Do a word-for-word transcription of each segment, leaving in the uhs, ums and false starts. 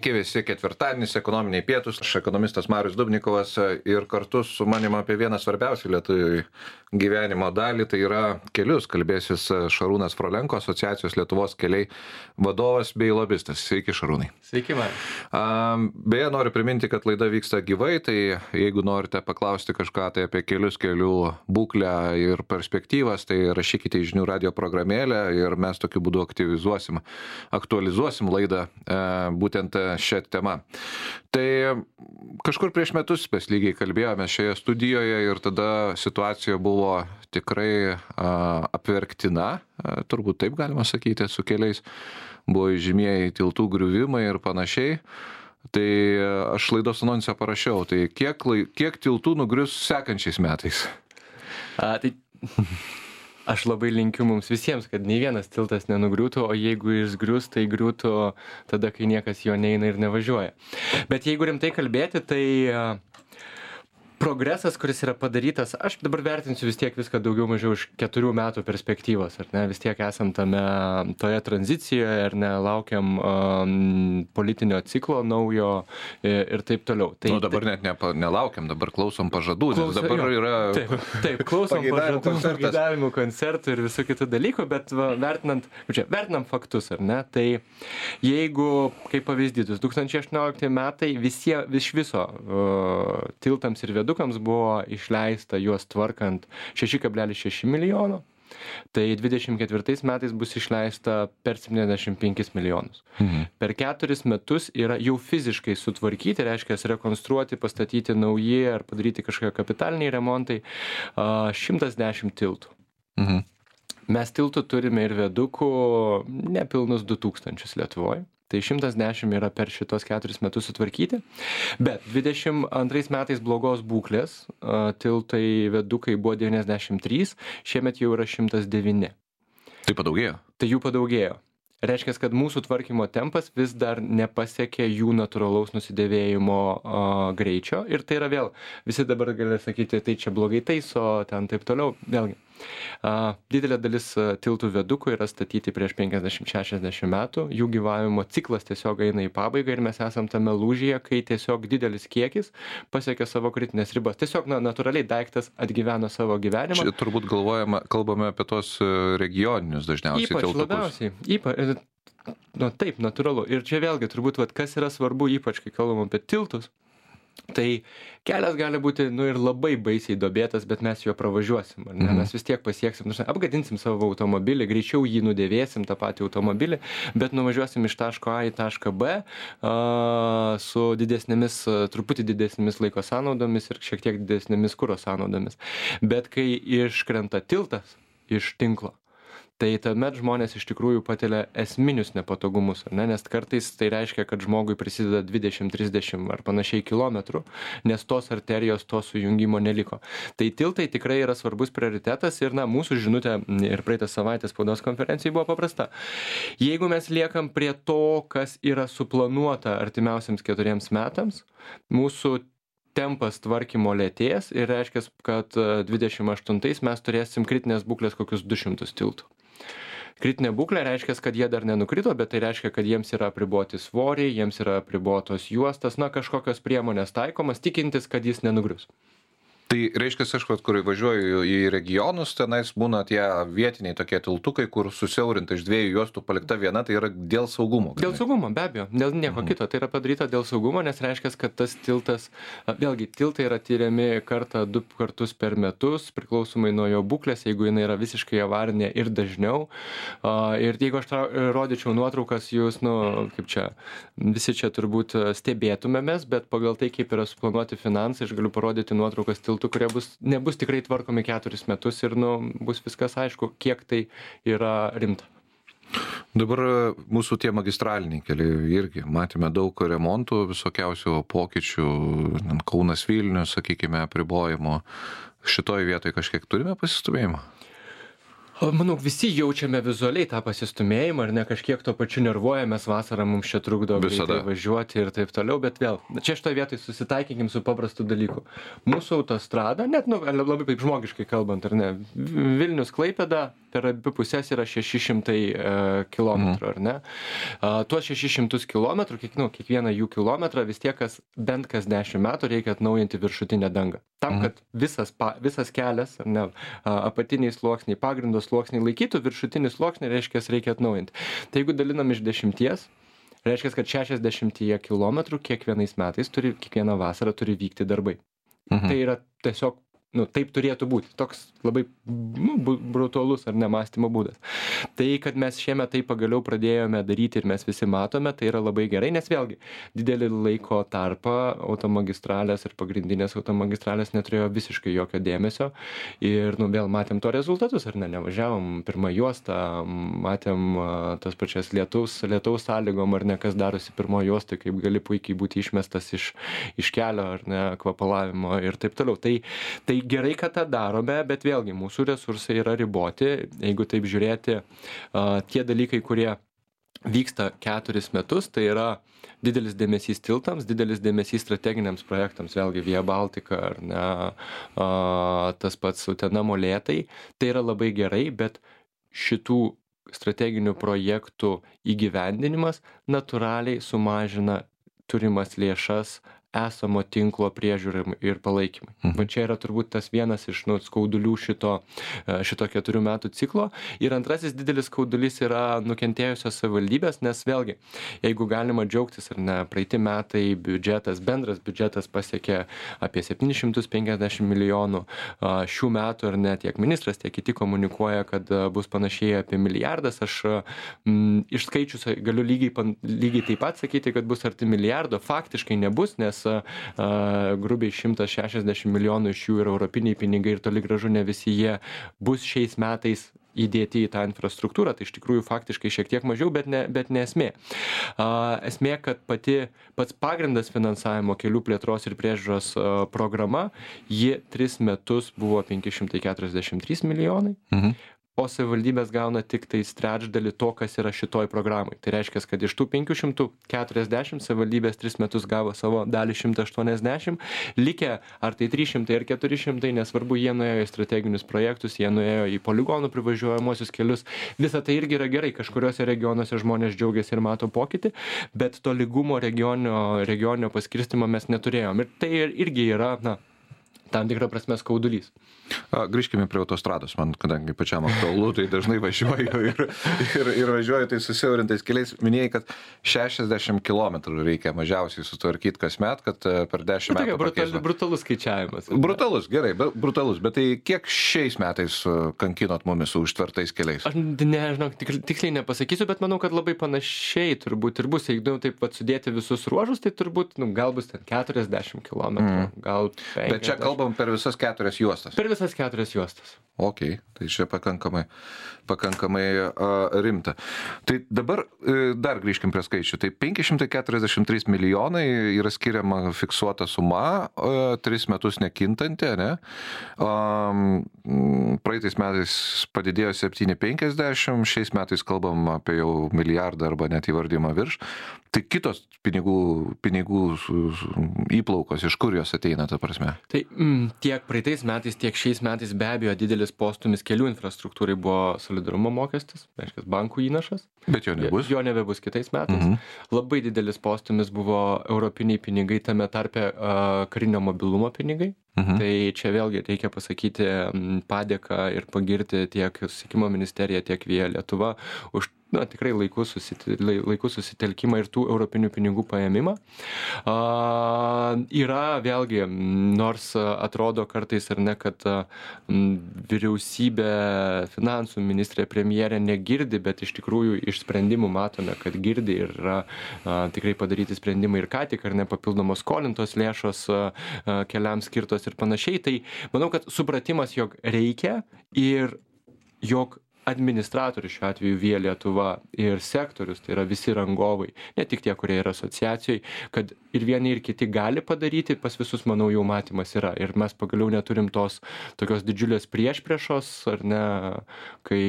Sveiki visi, ketvirtadienis, ekonominiai pietūs, aš ekonomistas Marius Dubnikovas ir kartu su manim apie vieną svarbiausių lietuvių gyvenimo dalį, tai yra kelius, kalbėsis Šarūnas Frolenko, Asociacijos Lietuvos keliai vadovas bei lobistas. Sveiki, Šarūnai. Sveiki, Marius. Beje, noriu priminti, kad laida vyksta gyvai, tai jeigu norite paklausti kažką tai apie kelius, kelių būklę ir perspektyvas, tai rašykite į žinių radio programėlę ir mes tokiu būdu aktyvizuosim, aktualizuosim laidą būtent šią temą. Tai kažkur prieš metus mes lygiai kalbėjome šioje studijoje ir tada situacija buvo tikrai a, apverktina, a, turbūt taip galima sakyti, su keliais buvo žymieji tiltų griuvimai ir panašiai. Tai aš laidos anonsą parašiau, tai kiek, kiek tiltų nugrius sekančiais metais? A, tai... Aš labai linkiu mums visiems, kad nei vienas tiltas nenugriūtų, o jeigu jis grius, tai griūtų tada, kai niekas jo neina ir nevažiuoja. Bet jeigu rimtai kalbėti, tai progresas, kuris yra padarytas, aš dabar vertinsiu vis tiek viską daugiau mažiau iš keturių metų perspektyvos, ar ne, vis tiek esam tame toje tranzicijoje, ar ne, laukiam um, politinio ciklo naujo ir, ir taip toliau. Tai, nu, dabar net ne, nelaukiam, dabar klausom pažadų, nes dabar jo, yra... Taip, taip klausom pažadų, pageidavimų koncertų ir visų kitų dalykų, bet va, vertinant, čia, vertinam faktus, ar ne, tai jeigu, kaip pavyzdys, du tūkstančiai aštuoniolikti metai visie, vis viso uh, tiltams ir viedukams buvo išleista juos tvarkant šeši kablelis šeši milijono, tai dvidešimt ketvirtais metais bus išleista per septyniasdešimt penkis milijonus. Mhm. Per keturis metus yra jau fiziškai sutvarkyti, reiškia rekonstruoti, pastatyti nauji ar padaryti kažkokie kapitaliniai remontai šimtas dešimt tiltų. Mhm. Mes tiltų turime ir viadukų nepilnus du tūkstančius Lietuvoje. Tai šimtas dešimt yra per šitos keturis metus sutvarkyti, bet dvidešimt antrais metais blogos būklės, tiltai viadukai buvo devyniasdešimt trys, šiemet jau yra šimtas devyni. Tai padaugėjo? Tai jų padaugėjo. Reiškia, kad mūsų tvarkymo tempas vis dar nepasiekė jų natūralaus nusidėvėjimo a, greičio ir tai yra vėl, visi dabar gali sakyti, tai čia blogai taiso, ten taip toliau, vėlgi. A, didelė dalis tiltų viadukų yra statyti prieš penkiasdešimt šešiasdešimt metų, jų gyvavimo ciklas tiesiog eina į pabaigą ir mes esam tame lūžyje, kai tiesiog didelis kiekis pasiekia savo kritinės ribas. Tiesiog na, natūraliai daiktas atgyveno savo gyvenimą. Čia turbūt galvojame, kalbame apie tos regioninius dažniausiai ypač tiltukus. Labiausiai, ypač, nu, taip, natūralu. Ir čia vėlgi turbūt, vat, kas yra svarbu, ypač kai kalbam apie tiltus, tai kelias gali būti nu, ir labai baisiai duobėtas, bet mes jo pravažiuosim. Ar ne? Mm. Mes vis tiek pasieksim, nu, apgadinsim savo automobilį, greičiau jį nudėvėsim, tą patį automobilį, bet nuvažiuosim iš taško A į tašką B a, su didesnėmis, truputį didesnėmis laiko sąnaudomis ir šiek tiek didesnėmis kuro sąnaudomis. Bet kai iškrenta tiltas iš tinklo, tai tuomet žmonės iš tikrųjų patiria esminius nepatogumus, ar ne? Nes kartais tai reiškia, kad žmogui prisideda dvidešimt trisdešimt ar panašiai kilometrų, nes tos arterijos, to sujungimo neliko. Tai tiltai tikrai yra svarbus prioritetas ir na, mūsų žinutė ir praeitą savaitę spaudos konferencijai buvo paprasta. Jeigu mes liekam prie to, kas yra suplanuota artimiausiams keturiems metams, mūsų tempas tvarkymo lėtės ir reiškia, kad dvidešimt aštuntais mes turėsim kritinės būklės kokius du šimtus tiltų. Kritinė būklė reiškia, kad jie dar nenukrito, bet tai reiškia, kad jiems yra apriboti svoriai, jiems yra apribotos juostas, na kažkokios priemonės taikomas, tikintis, kad jis nenugrius. Tai reiškia, aš, kur važiuoju į regionus, tenais būna tie vietiniai tokie tiltukai, kur susiaurinta iš dviejų juostų palikta viena, tai yra dėl saugumo. Dėl saugumo, be abejo, dėl nieko mhm. kito. Tai yra padaryta dėl saugumo, nes reiškia, kad tas tiltas, vėlgi, tiltai yra tyriami kartą, du kartus per metus, priklausomai nuo jo būklės, jeigu jinai yra visiškai avarinė ir dažniau. Ir jeigu aš rodyčiau nuotraukas, jūs, nu, kaip čia, visi čia turbūt stebėtumėmės, bet pagal tai, kaip yra suplanuoti finansai, aš galiu parodyti nuotraukas tiltų, kurie bus, nebus tikrai tvarkomi keturis metus ir nu, bus viskas aišku, kiek tai yra rimta. Dabar mūsų tie magistraliniai keliai irgi matėme daug remontų, visokiausių pokyčių, Kaunas Vilnius, sakykime, apribojimo. Šitoje vietoje kažkiek turime pasistumėjimą? Manau, visi jaučiame vizualiai tą pasistumėjimą, ar ne kažkiek to pačiu nervuojamės, vasarą mums čia trukdo greitai važiuoti ir taip toliau, bet vėl, čia šitoje vietoje susitaikykim su paprastu dalyku. Mūsų autostrada, net nu, labai taip žmogiškai kalbant, ar ne, Vilnius Klaipėda per abi pusės yra šeši šimtai e, kilometrų, ar ne? A, tuos šešis šimtus kilometrų, kiek, nu, kiekvieną jų kilometrą vis tiek kas, bent kas dešimt metų reikia atnaujinti viršutinę dangą. Tam, kad visas, pa, visas kelias, ar ne, a, apatiniai sluoksniai, pagrindo sluoksniai laikytų, viršutinį sluoksnį reiškia reikia atnaujinti. Tai jeigu dalinam iš dešimties, reiškia, kad šešiasdešimt kilometrų kiekvienais metais turi, kiekvieną vasarą turi vykti darbai. Mhm. Tai yra tiesiog, nu, taip turėtų būti. Toks labai nu, brutalus ar nemąstymo būdas. Tai, kad mes šiemet tai pagaliau pradėjome daryti ir mes visi matome, tai yra labai gerai, nes vėlgi didelį laiko tarpą automagistralės ir pagrindinės automagistralės neturėjo visiškai jokio dėmesio ir, nu, vėl matėm to rezultatus, ar ne, nevažiavom pirmą juostą, matėm uh, tas pačias lietaus, lietaus sąlygom, ar ne, kas darosi pirmo juostą, kaip gali puikiai būti išmestas iš, iš kelio, ar ne, kvapalavimo ir taip toliau. Tai, tai gerai, kad tą darome, bet vėlgi mūsų resursai yra riboti. Jeigu taip žiūrėti, tie dalykai, kurie vyksta keturis metus, tai yra didelis dėmesys tiltams, didelis dėmesys strateginiams projektams, vėlgi Via Baltica ar ne, tas pats Utena Molėtai. Tai yra labai gerai, bet šitų strateginių projektų įgyvendinimas natūraliai sumažina turimas lėšas esamo tinklo priežiūrai ir palaikymai. Mhm. Va čia yra turbūt tas vienas iš nu, skaudulių šito, šito keturių metų ciklo. Ir antrasis didelis skaudulys yra nukentėjusios savivaldybės, nes vėlgi, jeigu galima džiaugtis, ar ne, praeiti metai biudžetas, bendras biudžetas pasiekė apie septynis šimtus penkiasdešimt milijonų. Šių metų, ar ne, tiek ministras, tiek kiti komunikuoja, kad bus panašiai apie milijardas. Aš m, išskaičius galiu lygiai, lygiai taip pat sakyti, kad bus arti milijardo. Faktiškai nebus, nes a, grubiai šimtas šešiasdešimt milijonų iš jų yra europiniai pinigai ir toli gražu ne visi jie bus šiais metais įdėti į tą infrastruktūrą, tai iš tikrųjų faktiškai šiek tiek mažiau, bet ne, bet ne esmė. A, esmė, kad pati, pats pagrindas finansavimo kelių plėtros ir priežiūros a, programa, ji tris metus buvo penki šimtai keturiasdešimt trys milijonai. Mhm. O savivaldybės gauna tik tai trečdalį to, kas yra šitoj programai. Tai reiškia, kad iš tų penkių šimtų keturiasdešimt savivaldybės tris metus gavo savo dalį šimtą aštuoniasdešimt, likę ar tai trys šimtai ar keturi šimtai, nesvarbu, jie nuėjo į strateginius projektus, jie nuėjo į poligonų privažiuojamosius kelius. Visa tai irgi yra gerai, kažkuriuose regionuose žmonės džiaugiasi ir mato pokytį, bet to lygumo regioninio, regioninio paskirstimo mes neturėjom. Ir tai irgi yra, na, tam tikrą prasme skaudulys. A, grįžkime prie autostrados, man kadangi pačiam aktualu, tai dažnai važiuoju ir, ir, ir važiuoju tai susiaurintais keliais. Minėjai, kad šešiasdešimt kilometrų reikia mažiausiai sutvarkyti kasmet, kad per dešimt metų brutal, brutalus skaičiavimas. Brutalus, gerai, brutalus, bet tai kiek šiais metais kankinot mumis su užtvertais keliais? Aš nežinau, tik, tiksliai nepasakysiu, bet manau, kad labai panašiai turbūt ir bus. Jeigu taip pat sudėti visus ruožus, tai turbūt nu, gal bus ten keturiasdešimt kilometrų, mm. gal penkiasdešimt. Bet čia kalbam per visas keturias juostas. Per visas keturias juostas. Ok, tai čia pakankamai, pakankamai uh, rimta. Tai dabar uh, dar grįžkim prie skaičių. Tai penki šimtai keturiasdešimt trys milijonai yra skiriama fiksuota suma, uh, tris metus nekintanti, ne? Um, praeitais metais padidėjo septyni penkiasdešimt, šiais metais kalbam apie jau milijardą arba net įvardymą virš. Tai kitos pinigų, pinigų įplaukos, iš kur jos ateina, ta prasme? Tai mm, tiek praeitais metais, tiek šiais metais be abejo didelis postūmis kelių infrastruktūrai buvo solidarumo mokestis, reiškia bankų įnašas. Bet jo nebus. Jo, jo nebebus kitais metais. Mhm. Labai didelis postūmis buvo europiniai pinigai, tame tarpe uh, karinio mobilumo pinigai. Mhm. Tai čia vėlgi reikia pasakyti padėką ir pagirti tiek Susisiekimo ministerija, tiek Via Lietuva už na, tikrai laikų susitel, laikų susitelkimą ir tų europinių pinigų paėmimą. A, yra vėlgi, nors atrodo kartais ar ne, kad a, vyriausybė, finansų ministrė, premjerė negirdi, bet iš tikrųjų iš sprendimų matome, kad girdi ir yra a, tikrai padaryti sprendimai ir ką tik, ar ne papildomos skolintos lėšos a, a, keliams skirtos ir panašiai. Tai manau, kad supratimas, jog reikia ir jog administratorius šiuo atveju Via Lietuva ir sektorius, tai yra visi rangovai, ne tik tie, kurie yra asociacijai, kad ir vieni ir kiti gali padaryti, pas visus, manau, jau matymas yra. Ir mes pagaliau neturim tos tokios didžiulės priešpriešos, ar ne, kai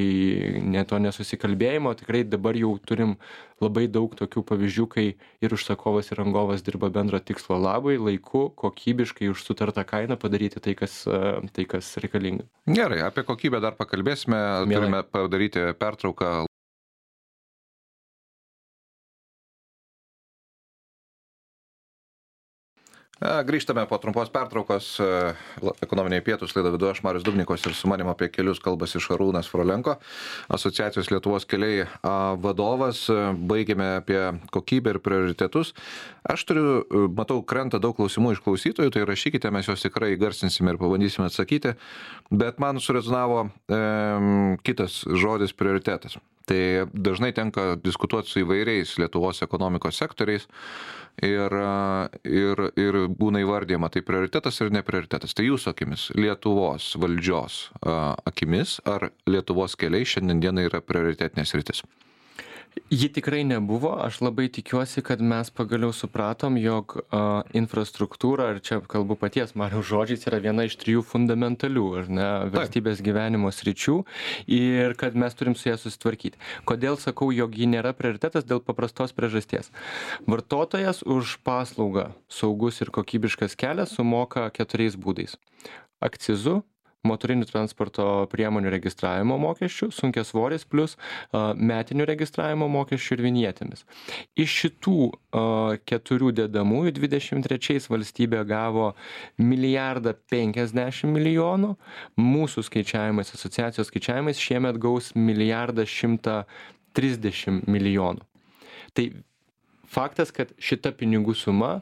ne to nesusikalbėjimo, tikrai dabar jau turim labai daug tokių pavyzdžių, kai ir užsakovas, ir rangovas dirba bendro tikslo labai, laiku, kokybiškai už sutartą kainą padaryti tai, kas, tai, kas reikalinga. Gerai, apie kokybę dar pakalbėsime, Mielai. Turime padaryti pertrauką. Grįžtame po trumpos pertraukos, ekonominiai pietus laidą vedu aš, Marius Dubnikovas, ir su manim apie kelius kalbasi Šarūnas Frolenko, Asociacijos Lietuvos keliai vadovas. Baigėme apie kokybę ir prioritetus. Aš turiu, matau, krenta daug klausimų iš klausytojų, tai rašykite, mes juos tikrai garsinsime ir pabandysime atsakyti, bet man surezonavo e, kitas žodis prioritetas. Tai dažnai tenka diskutuoti su įvairiais Lietuvos ekonomikos sektoriais ir, ir, ir būna įvardyjama, tai prioritetas ir neprioritetas. Tai jūsų akimis, Lietuvos valdžios akimis, ar Lietuvos keliai šiandien dienai yra prioritetinės sritis? Ji tikrai nebuvo. Aš labai tikiuosi, kad mes pagaliau supratom, jog a, infrastruktūra, ir čia kalbu paties Mariaus žodžiais, yra viena iš trijų fundamentalių, ar ne, valstybės gyvenimo sričių, ir kad mes turim su ją susitvarkyti. Kodėl sakau, jog ji nėra prioritetas? Dėl paprastos priežasties. Vartotojas už paslaugą saugus ir kokybiškas kelias sumoka keturiais būdais. Akcizu, motorinių transporto priemonių registravimo mokesčių, sunkiasvoris plus uh, metinių registravimo mokesčių ir vinjetėmis. Iš šitų uh, keturių dedamųjų dvidešimt trečiais valstybė gavo milijardą penkiasdešimt milijonų, mūsų skaičiavimais, asociacijos skaičiavimais šiemet gaus milijardą šimtą trisdešimt milijonų. Tai faktas, kad šita pinigų suma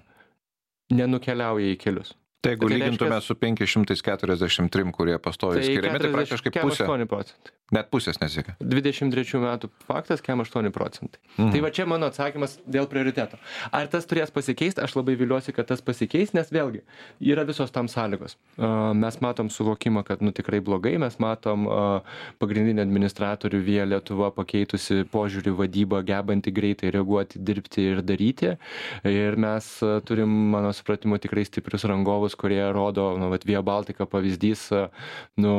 nenukeliauja į kelius. Tai jeigu lygintume su penki šimtai keturiasdešimt trys, kurie pastoviai skiriami, tai praktiškai pusė. aštuoni procentai. Net pusės nesiekia. dvidešimt trečių metų faktas, kem aštuoni procentai. Mm. Tai va čia mano atsakymas dėl prioriteto. Ar tas turės pasikeisti? Aš labai viliuosi, kad tas pasikeis, nes vėlgi yra visos tam sąlygos. Uh, mes matom suvokimą, kad nu tikrai blogai, mes matom uh, pagrindinį administratorių Via Lietuva pakeitusi požiūrį vadybą, gebanti greitai reaguoti, dirbti ir daryti. Ir mes uh, turim, mano supratimu, tikrai stiprius rangovus, kurie rodo, nu, vat Via Baltica pavyzdys, nu,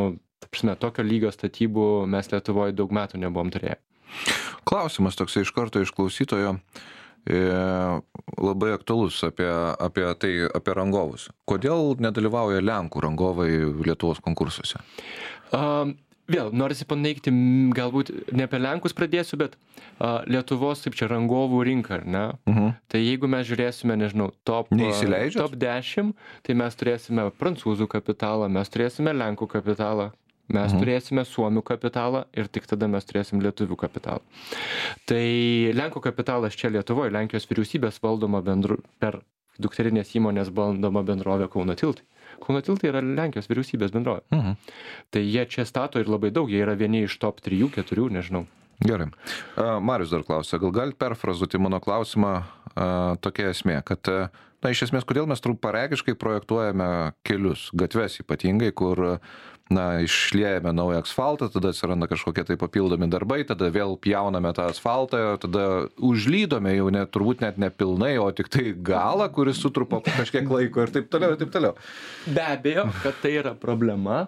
prasme, tokio lygio statybų mes Lietuvoje daug metų nebuvom turėję. Klausimas toksai iš karto iš klausytojo, e, labai aktualus apie, apie tai, apie rangovus. Kodėl nedalyvauja Lenkų rangovai Lietuvos konkursuose? Um, Vėl, norisi paneigti, galbūt ne apie Lenkus pradėsiu, bet a, Lietuvos, taip čia, rangovų rinka, ar ne? Uh-huh. Tai jeigu mes žiūrėsime, nežinau, top, top dešimt, tai mes turėsime prancūzų kapitalą, mes turėsime Lenkų kapitalą, mes uh-huh. turėsime Suomių kapitalą ir tik tada mes turėsim lietuvių kapitalą. Tai Lenkų kapitalas čia Lietuvoje, Lenkijos vyriausybės valdoma bendru, per dukterinės įmonės valdoma bendrovė Kauno tiltai. Kauno tiltai yra Lenkijos vyriausybės bendrovė. Mhm. Tai jie čia stato ir labai daug, jie yra vieni iš top trijų, keturių, nežinau. Gerai. Marius dar klausia, gal galite perfrazuoti mano klausimą tokia esmė, kad, na, iš esmės, kodėl mes trumparegiškai projektuojame kelius, gatves ypatingai, kur, na, išliejame naują asfaltą, tada atsiranda kažkokie tai papildomi darbai, tada vėl pjauname tą asfaltą, tada užlydome jau net, turbūt net nepilnai, o tik tai galą, kuris sutrupo kažkiek laiko ir taip toliau, ir taip toliau. Be abejo, kad tai yra problema,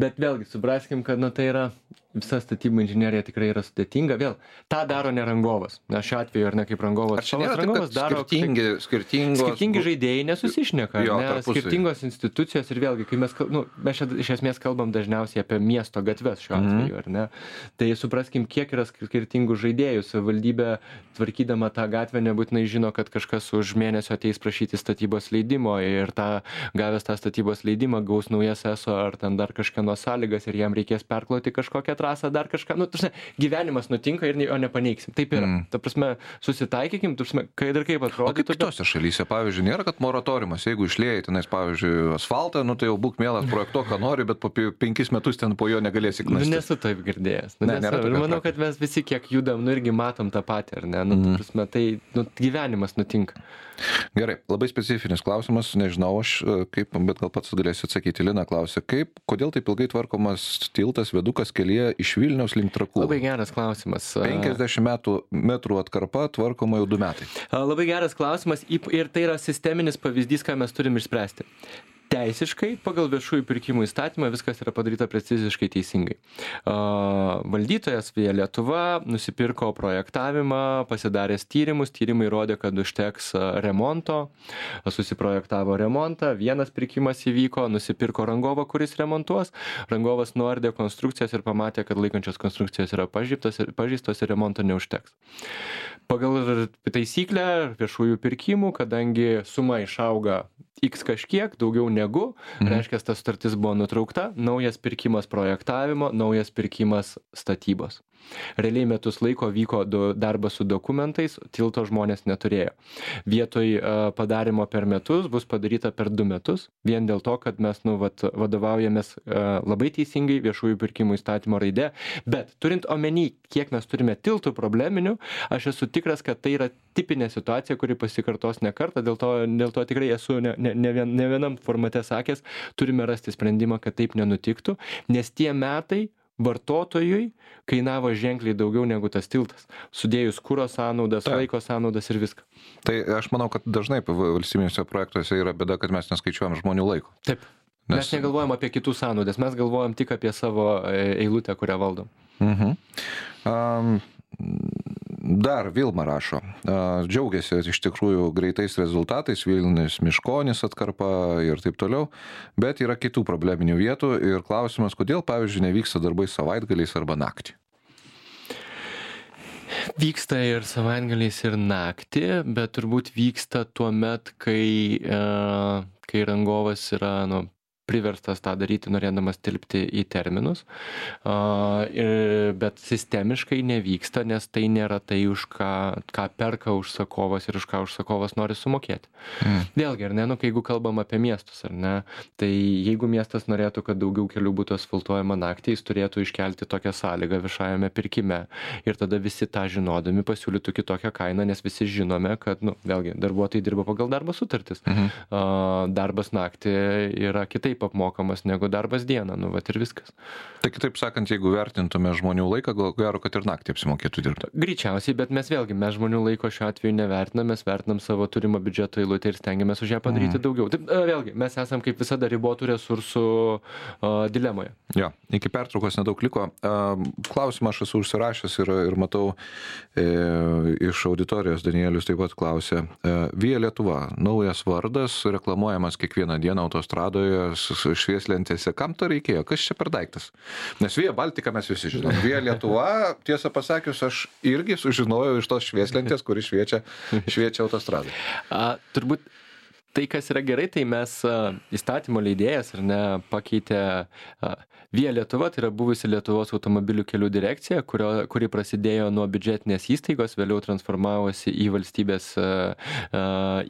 bet vėlgi supraskim, kad, na, tai yra visa statybų inžinerija tikrai yra sudėtinga. Vėl, tą daro ne rangovas. Na, šiuo atveju, ar ne kaip rangovas. Ar čia nėra taip, kad daro skirtingi, skirtingos... skirtingi žaidėjai nesusišneka, jo, ne? Skirtingos institucijos ir vėlgi, kai mes, nu, mes čia iš esmės kalbam dažniausiai apie miesto gatves šiuo atveju, ar ne? Tai supraskim, kiek yra skirtingų žaidėjų. Savivaldybė, tvarkydama tą gatvę, nebūtinai žino, kad kažkas už mėnesio ateis prašyti statybos leidimo ir tą, gavęs tą statybos leidimą gaus naujas eso ar ten dar kažkieno sąlygas ir jam reikės perkloti kažkokią trasą, dar kažką. Nu, tarsi, gyvenimas nutinka ir jo nepaneigsim. Taip yra. Mm. Ta prasme, susitaikykim, tarsi, kad ir kaip atrodo. O kaip kitose šalyse, pavyzdžiui, nėra, kad moratoriumas, jeigu išliejai tenais, pavyzdžiui, asfaltą, nu tai jau būk mielas projekto, ką nori, bet po penkis metus ten po jo negalėsi knasti. Nu, nesu taip girdėjęs. Nu, ne, nesu. Ir manau, kad mes visi kiek judam, nu irgi matom tą patį, ar ne? Nu, mm. prasme, tai nu, gyvenimas nutinka. Gerai, labai specifinis klausimas, nežinau aš kaip, bet gal pats galėsiu atsakyti. Lina klausė, kaip, kodėl taip ilgai tvarkomas tiltas, viadukas kelyje iš Vilniaus link Trakų? Labai geras klausimas. penkiasdešimt metų, metrų atkarpa tvarkoma jau du metai. Labai geras klausimas ir tai yra sisteminis pavyzdys, ką mes turim išspręsti. Teisiškai, pagal viešųjų pirkimų įstatymą viskas yra padaryta preciziškai teisingai. Valdytojas Via Lietuva nusipirko projektavimą, pasidaręs tyrimus, tyrimai rodė, kad užteks remonto, susiprojektavo remontą, vienas pirkimas įvyko, nusipirko rangovą, kuris remontuos, rangovas nuardė konstrukcijas ir pamatė, kad laikančios konstrukcijos yra pažeistos ir, pažeistos ir remonto neužteks. Pagal taisyklę viešųjų pirkimų, kadangi suma išauga X kažkiek, daugiau negu, mhm. reiškia, ta sutartis buvo nutraukta, naujas pirkimas projektavimo, naujas pirkimas statybos. Realiai metus laiko vyko darbas su dokumentais, tilto žmonės neturėjo. Vietoj padarimo per metus bus padaryta per du metus, vien dėl to, kad mes nu, vat, vadovaujamės labai teisingai viešųjų pirkimų įstatymo raide, bet turint omeny, kiek mes turime tiltų probleminių, aš esu tikras, kad tai yra tipinė situacija, kuri pasikartos ne kartą, dėl to, dėl to tikrai esu ne, ne, ne, vien, ne vienam formate sakęs, turime rasti sprendimą, kad taip nenutiktų, nes tie metai vartotojui kainavo ženkliai daugiau negu tas tiltas, sudėjus kuro sąnaudas, Ta. laiko sąnaudas ir viską. Tai aš manau, kad dažnai valstybiniuose projektuose yra bėda, kad mes neskaičiuojam žmonių laiko. Taip. Nes... Mes negalvojam apie kitų sąnaudas, mes galvojam tik apie savo eilutę, kurią valdom. Mhm. Um, Dar Vilma rašo, džiaugiasi iš tikrųjų greitais rezultatais, Vilnius Miškonis atkarpa ir taip toliau, bet yra kitų probleminių vietų ir klausimas, kodėl, pavyzdžiui, nevyksta darbai savaitgaliais arba naktį. Vyksta ir savaitgaliais ir naktį, bet turbūt vyksta tuo met, kai, kai rangovas yra, nu, priverstas tą daryti, norėdamas tilpti į terminus, uh, ir, bet sistemiškai nevyksta, nes tai nėra tai, už ką, ką perka užsakovas ir už ką užsakovas nori sumokėti. Mm. Vėlgi, ar ne, nu, kai jeigu kalbam apie miestus, ar ne, tai jeigu miestas norėtų, kad daugiau kelių būtų asfaltuojama naktį, jis turėtų iškelti tokią sąlygą viešajame pirkime ir tada visi tą žinodami pasiūlytų kitokią kainą, nes visi žinome, kad, nu, vėlgi, darbuotojai dirba pagal darbo sutartis. Mhm. Uh, darbas naktį yra kitaip apmokamas negu darbas dieną, nu, vat ir viskas. Tai kitaip sakant, jeigu vertintume žmonių laiką, gal gero, kad ir naktį apsimokėtų dirbti. Greičiausiai, bet mes vėlgi, mes žmonių laiko šiuo atveju nevertinam, mes vertinam savo turimą biudžeto eilutę ir stengiamės už ją padaryti mm. daugiau. Taip, vėlgi, mes esam kaip visada ribotų resursų uh, dilemoje. Jo, iki pertraukos nedaug liko. Uh, klausimą aš esu užsirašęs ir, ir matau e, iš auditorijos Danielius taip pat klausė. E, Via Lietuva, naujas vardas, reklamuojamas kiekvieną dieną autostradoje, švieslentėse. Kam to reikėjo? Kas čia per daiktas? Nes Via Baltica mes visi žinom. Via Lietuva, tiesą pasakius, aš irgi sužinojau iš tos švieslentės, kuri šviečia, šviečia autostradai. A, turbūt tai, kas yra gerai, tai mes a, įstatymo leidėjas ar ne pakeitė a, Via Lietuva, tai yra buvusi Lietuvos automobilių kelių direkcija, kurio, kuri prasidėjo nuo biudžetinės įstaigos, vėliau transformavosi į valstybės a, a,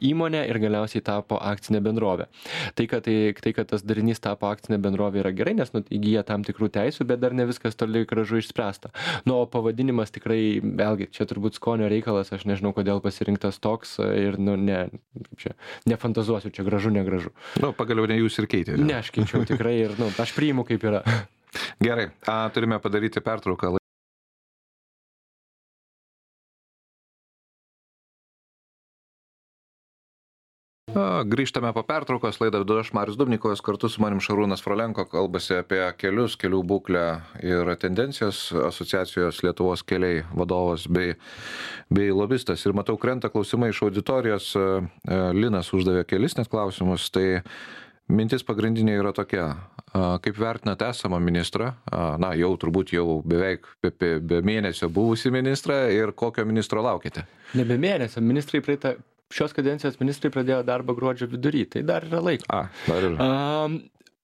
įmonę ir galiausiai tapo akcinė bendrovė. Tai kad, tai, tai, kad tas darinys tapo akcinė bendrovė yra gerai, nes nu, įgyja tam tikrų teisų, bet dar ne viskas toli gražu išspręsta. Nu, o pavadinimas tikrai, vėlgi, čia turbūt skonio reikalas, aš nežinau, kodėl pasirinktas toks ir, nu, ne, čia, nefantazuosiu, čia gražu, negražu. Nu, pagaliau ne jūs ir keitėte. Ne, aš keičiau tikrai ir, nu, aš priimu kaip yra. Gerai, a, turime padaryti pertrauką. Grįžtame po pertraukos, laidą vedu aš Marius Dubnikovas, kartu su manim Šarūnas Frolenko, kalbasi apie kelius, kelių būklę ir tendencijos, asociacijos Lietuvos keliai vadovas bei, bei lobistas. Ir matau, krenta klausimai iš auditorijos, Linas uždavė kelis net klausimus, tai mintis pagrindinė yra tokia, kaip vertinate esamą ministrą, na jau turbūt jau beveik be, be, be mėnesio buvusį ministrą ir kokio ministro laukite? Ne be mėnesio, ministrai praeitą Šios kadencijos ministrai pradėjo darbą gruodžio vidury, tai dar yra laiko. A, dar yra. Um,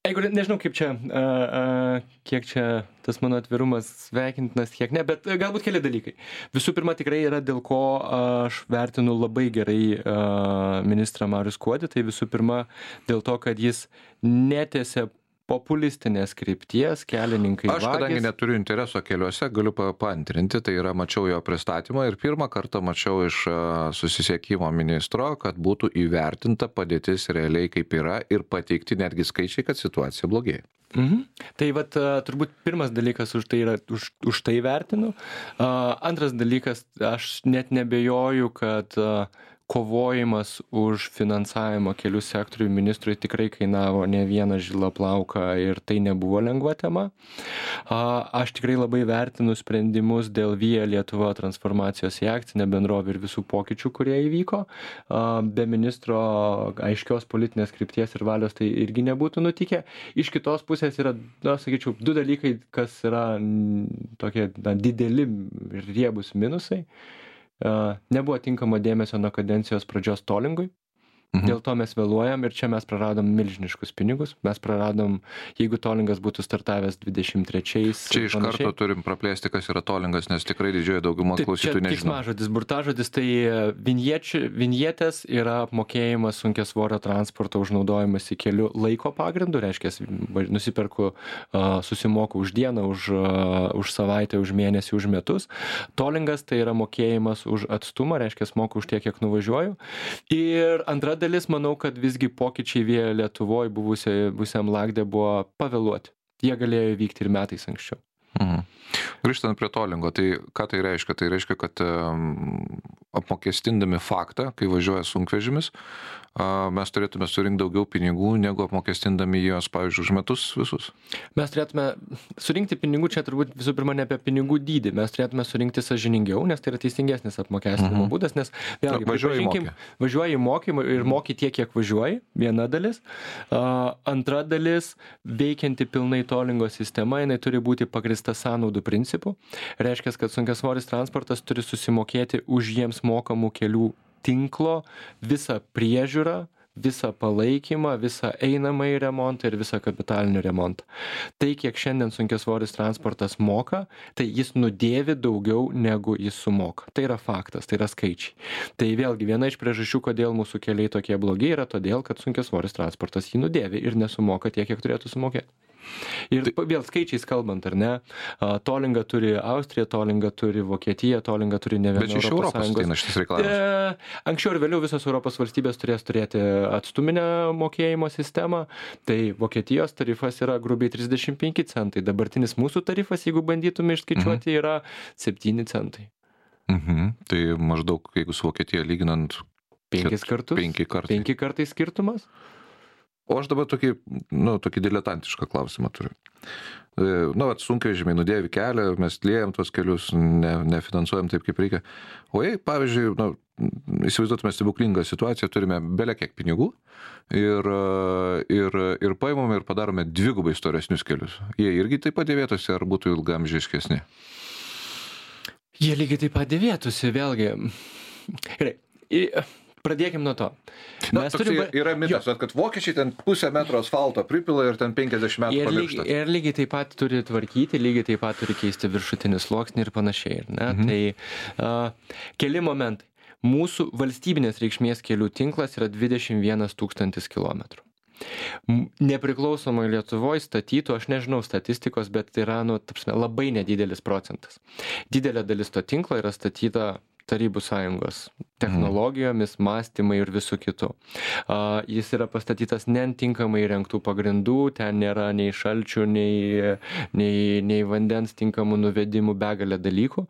jeigu, nežinau, kaip čia, uh, uh, kiek čia tas mano atvirumas sveikintinas, kiek ne, bet galbūt keli dalykai. Visų pirma, tikrai yra dėl ko aš vertinu labai gerai uh, ministrą Marių Skuodį, tai visų pirma dėl to, kad jis netėse populistinės krypties, kelininkai Aš, kadangi vagis. Neturiu intereso keliuose, galiu paantrinti, tai yra mačiau jo pristatymą ir pirmą kartą mačiau iš susisiekimo ministro, kad būtų įvertinta padėtis realiai kaip yra ir pateikti netgi skaičiai, kad situacija blogėja. Mhm. Tai vat turbūt pirmas dalykas už tai yra, už, už tai vertinu. Uh, antras dalykas, aš net nebejoju, kad uh, kovojimas už finansavimą kelių sektoriui ministrui tikrai kainavo ne vieną žilą plauką ir tai nebuvo lengva tema. Aš tikrai labai vertinu sprendimus dėl Via Lietuva transformacijos į akcinę bendrovę ir visų pokyčių, kurie įvyko. Be ministro aiškios politinės krypties ir valios tai irgi nebūtų nutikę. Iš kitos pusės yra, na, sakyčiau, du dalykai, kas yra tokie na, dideli ir riebus minusai. Nebuvo tinkamo dėmesio nuo kadencijos pradžios tolingui. Mhm. Dėl to mes vėluojam ir čia mes praradom milžiniškus pinigus. Mes praradom, jeigu tolingas būtų startavęs dvidešimt trečiais. Čia iš panašiai. Karto turim praplėsti, kas yra tolingas, nes tikrai didžioji dauguma klausytojų nežino. Čia keiksmažodis, burtažodis, tai vinjetės yra apmokėjimas sunkiasvorio transporto už naudojimąsi keliu laiko pagrindu, reiškia, nusiperku, susimoku už dieną, už, už savaitę, už mėnesį, už metus. Tolingas tai yra mokėjimas už atstumą, reiškia, moku už tiek, kiek nuvažiuoju. Ir antra dalis, manau, kad visgi pokyčiai Via Lietuvoj buvusiam lagde buvo pavėluoti. Jie galėjo įvykti ir metais anksčiau. Mhm. Grįžtant prie tolingo, tai ką tai reiškia? Tai reiškia, kad um, apmokestindami faktą, kai važiuoja sunkvežimis, uh, mes turėtume surinkti daugiau pinigų, negu apmokestindami juos, pavyzdžiui, už metus visus? Mes turėtume surinkti pinigų, čia turbūt visų pirma ne apie pinigų dydį, mes turėtume surinkti sąžiningiau, nes tai yra teisingesnis apmokestinimo mhm. būdas, nes vėlgi, Na, važiuoji mokymą. Važiuoji mokymą ir moki tiek, kiek važiuoji, viena dalis. Uh, antra dalis, veikianti pilnai tolingo sistema, jinai turi būti pagrįsta sąnaudų principu. Reiškia, kad sunkiasvoris transportas turi susimokėti už jiems mokamų kelių tinklo visą priežiūrą, visą palaikymą, visą einamąjį remontą ir visą kapitalinį remontą. Tai, kiek šiandien sunkiasvoris transportas moka, tai jis nudėvi daugiau negu jis sumoka. Tai yra faktas, tai yra skaičiai. Tai vėlgi viena iš priežasčių, kodėl mūsų keliai tokie blogi, yra todėl, kad sunkiasvoris transportas jį nudėvi ir nesumoka tiek, kiek turėtų sumokėti. Ir tai, vėl skaičiais kalbant, ar ne, tolingą turi Austrija, tolingą turi Vokietija, tolingą turi ne viena Bet iš Europos ateina šitas reikalavimas. E, anksčiau ir vėliau visos Europos valstybės turės turėti atstuminę mokėjimo sistemą, tai Vokietijos tarifas yra grubiai trisdešimt penki centai, dabartinis mūsų tarifas, jeigu bandytume išskaičiuoti, mhm. yra septyni centai. Mhm. Tai maždaug, jeigu su Vokietija lyginant... Penkis kartus? Penki kartai. Penki kartai skirtumas? O aš dabar tokį, nu, tokį diletantišką klausimą turiu. Nu, vat, sunkvežimiai nudėvi kelią, mes liejam tuos kelius, ne, nefinansuojam taip, kaip reikia. O jei, pavyzdžiui, nu, įsivaizduotume stebuklingą situaciją, turime bele kiek pinigų ir, ir, ir paimame ir padarome dvigubai storesnius kelius. Jie irgi taip pat dėvėtųsi, ar būtų ilgamžiškesni? Jie lygiai taip pat dėvėtųsi, vėlgi. Gerai. Pradėkim nuo to. Na, Mes turim... Yra mitas, jo. Kad vokiečiai ten pusę metro asfalto pripila ir ten penkiasdešimt metų ir pamiršta. Lygiai, ir lygiai taip pat turi tvarkyti, lygiai taip pat turi keisti viršutinį sluoksnį ir panašiai. Ne? Mhm. Tai uh, keli momentai. Mūsų valstybinės reikšmės kelių tinklas yra dvidešimt vienas tūkstantis kilometrų. Nepriklausomai Lietuvoje statytų, aš nežinau statistikos, bet tai yra nu, tapsime, labai nedidelis procentas. Didelė dalis to tinklo yra statyta Tarybų sąjungos technologijomis, mąstymai ir visų kitų. Uh, jis yra pastatytas netinkamai įrengtų pagrindų, ten nėra nei šalčių, nei, nei, nei vandens tinkamų nuvedimų, begalė dalykų.